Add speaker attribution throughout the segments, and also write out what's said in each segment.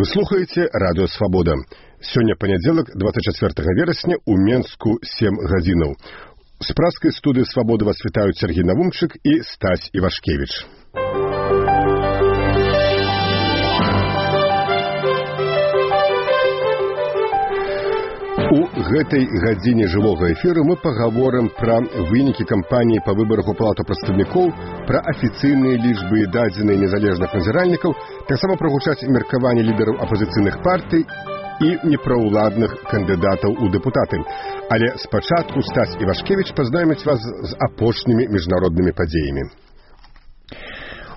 Speaker 1: Вы слухаеце радыё Свабода. Сёння панядзелак, 24 верасня, у Менску 7 гадзінаў. З праскай студыі Свабоды вас вітаюць Сергей Навумчык і Стась Івашкевіч. У гэтай гадзіне жывога эфіру мы пагаворым пра вынікі кампаніі па выбарах у палату прадстаўнікоў, пра афіцыйныя лічбы і дадзеныя незалежных назіральнікаў, таксама прагучаць меркаванні лідараў апазіцыйных партый і непраўладных кандыдатаў у дэпутаты. Але спачатку Стась Івашкевіч пазнаёміць вас з апошнімі міжнароднымі падзеямі.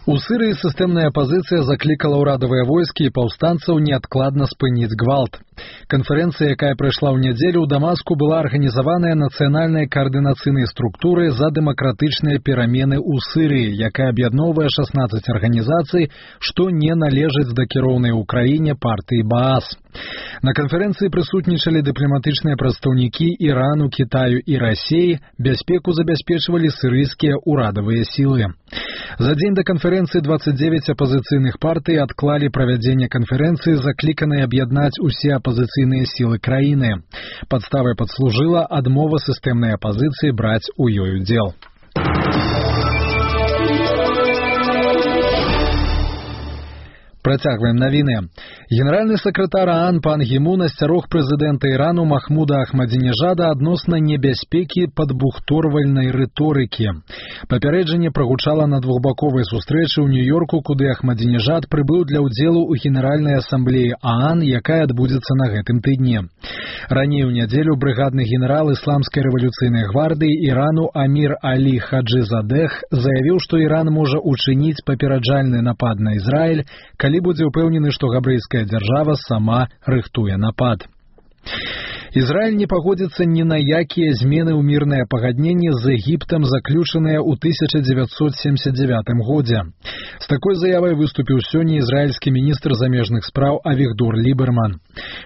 Speaker 2: У Сірыі сістэмная апазіцыя заклікала ўрадавыя войскі і паўстанцаў неадкладна спыніць гвалт. Канферэнцыя, якая прайшла ў нядзелю ў Дамаску, была арганізаваная нацыянальнай каардынацыйнай структурай за дэмакратычныя перамены ў Сірыі, якая аб'ядноўвае 16 арганізацый, што не належаць да кіроўнай у краіне партыі Баас. На канферэнцыі прысутнічалі дыпламатычныя прадстаўнікі Ірану, Кітаю і Расіі, бяспеку забяспечвалі сірыйскія ўрадавыя сілы. За дзень да канферэнцыі 29 апазіцыйных партый адклалі правядзенне канферэнцыі, закліканай аб'яднаць усе апазіцыйныя сілы краіны. Падставай падслужыла адмова сістэмнай апазіцыі браць у ёй удзел. Працягваем навіны. Генеральны сакратар ААН пан Гі Мун асцярог прэзідэнта Ірану Махмуда Ахмадзінежада адносна небяспекі падбухторвальнай рыторыкі. Папярэджанне прагучала на двухбаковай сустрэчы ў Нью-Йорку, куды Ахмадзінежад прыбыў для ўдзелу ў Генеральнай асамблеі ААН, якая адбудзецца на гэтым тыдні. Раней у нядзелю брыгадны генерал ісламскай рэвалюцыйнай гвардыі Ірану Амір Алі Хаджызадэх заявіў, што Іран можа учыніць папераджальны напад на Ізраіль, калі будзе ўпэўнены, што габрэйская дзяржава сама рыхтуе напад. Ізраіль не пагодзіцца ні на якія змены ў мірнае пагадненне з Егіптам, заключаныя ў 1979 годзе. З такой заявай выступіў сёння ізраільскі міністр замежных спраў Авігдор Ліберман.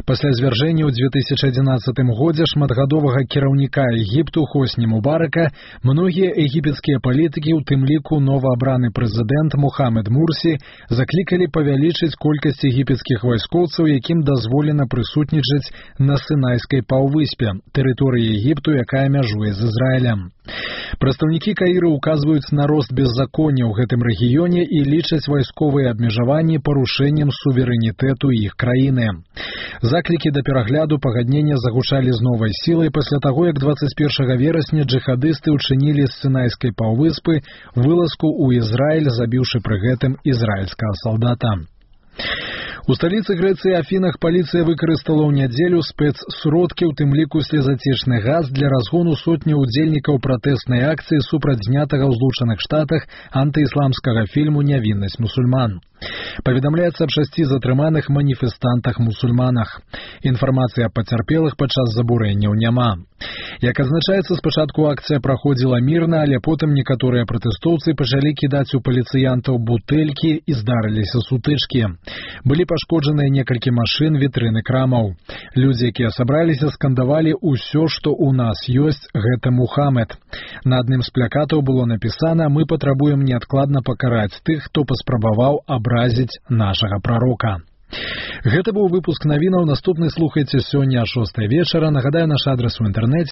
Speaker 2: Пасля звяржэння ў 2011 годзе шматгадовага кіраўніка Егіпту Хосні Мубарака многія егіпецкія палітыкі, у тым ліку новаабраны прэзідэнт Мухаммед Мурсі, заклікалі павялічыць колькасць егіпецкіх вайскоўцаў, якім дазволена прысутнічаць на Сінайскай паўвыспе, тэрыторыі Егіпту, якая мяжуе з Ізраілем. Прадстаўнікі Каіра указваюць на рост беззаконня ў гэтым рэгіёне і лічаць вайсковыя абмежаванні парушэннем суверэнітэту іх краіны. Заклікі да перагляду пагаднення загучалі з новай сілай пасля таго, як 21 верасня джыхадысты ўчынілі з Сінайскай паўвыспы вылазку ў Ізраіль, забіўшы пры гэтым ізраільскага салдата. У сталіцы Грэцыі Афінах паліцыя выкарыстала ў нядзелю спецсродкі, у тым ліку слезацечны газ, для разгону сотні ўдзельнікаў пратэснай акцыі супраць знятага ў Злучаных Штатах антыісламскага фільму «Нявіннасць мусульман». Паведамляецца аб 6 затрыманых маніфестантах-мусульманах. Інфармацыі аб пацярпелых падчас забурэнняў няма. Як адзначаецца, спачатку акцыя праходзіла мірна, але потым некаторыя пратэстоўцы пачалі кідаць у паліцыянтаў бутэлькі і здарыліся сутычкі. Былі пашкоджаныя некалькі машын, вітрыны крамаў. Людзі, якія сабраліся, скандавалі «Усё, што ў нас ёсць, гэта Мухаммед». На адным з плакатаў было напісана «Мы патрабуем неадкладна пакараць тых, хто паспрабаваў абразіць нашага прарока». Гэта быў выпуск навінаў. Наступны слухайце сёння о 6 вечара. Нагадаю, наш адрес у інтэрнэце